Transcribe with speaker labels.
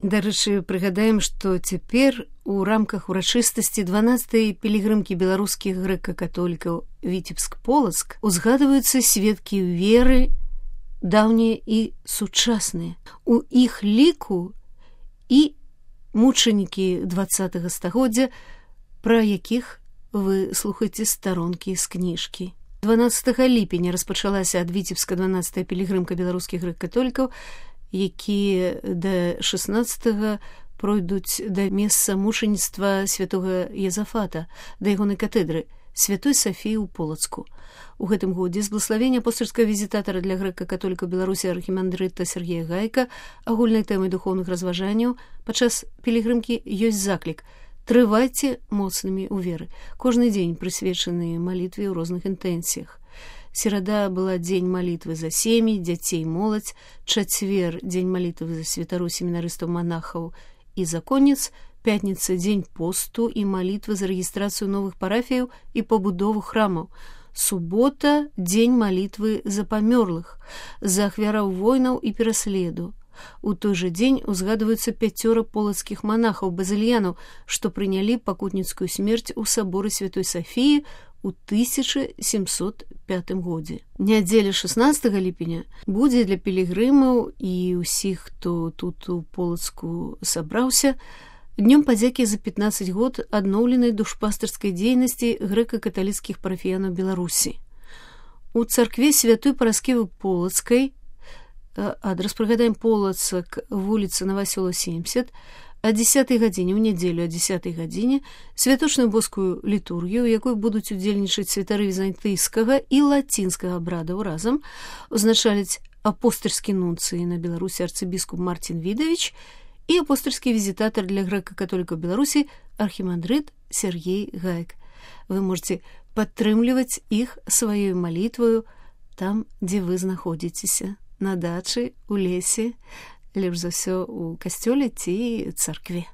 Speaker 1: Дарэчы, прыгадаем, што цяпер у рамках урачыстасці 12-й пілігрымкі беларускіх грэка-католікаў Віцебск-Полацк узгадваюцца сведкі веры даўнія і сучасныя. У іх ліку і мучанікі 20-го стагоддзя, пра якіх вы слухаеце старонкі з кніжкі. 12 ліпеня распачалася ад Віцебска 12-я пілігрымка беларускіх грэк-католікаў, якія да 16-го пройдуць да месца мучаніцтва святога Езафата, да ягонай катедры Святой Сафіі ў Полацку. У гэтым годзе з благаславення апостальскага візітатара для грэка-католікаў Беларусі архімандрыта Сергея Гайка агульнай тэмай духоўных разважанняў падчас пілігрымкі ёсць заклік: трывайце моцнымі ў веры. Кожны дзень прысвечаны малітве ў розных інтэнсіях. Серада была дзень малітвы за сем'і, дзяцей, моладзь, чацвер дзень малітвы за святароў, семінарыстаў, манахаў і законніц, пятніца дзень посту і малітвы за рэгістрацыю новых парафіяў і пабудову храмаў, субота дзень малітвы за памёрлых, за ахвяраў войнаў і пераследу. У той жа дзень узгадваюцца 5 полацкіх манахаў базыльянаў, што прынялі пакутніцкую смерць у саборы Святой Сафіі у 1705 годзе. Нядзеля 16 ліпеня будзе для пілігрымаў і ўсіх, хто тут у Полацку сабраўся, днём падзякі за 15 год адноўленай душпастырскай дзейнасці грэка-каталіцкіх парафіянаў Беларусі. У царкве Святой Параскевы Полацкай, адрас прыгадаем, Полацак, вуліца Новасёла 70, о 10 гадзіне, ў нядзелю о 10 гадзіне, святочную боскую літургію, у якой будуць удзельнічаць святары візантыйскага і лацінскага абрадаў разам, узначаліць апостальскі нунцый на Беларусі арцыбіскуп Марцін Відавіч і апостальскі візітатар для грэка-католікаў Беларусі архімандрыт Сергей Гайк. Вы можете падтрымліваць іх сваёй малітваю там, дзе вы знаходзіцеся, на дачы, у лесе, лепш за ўсё у касцёле ці царкве.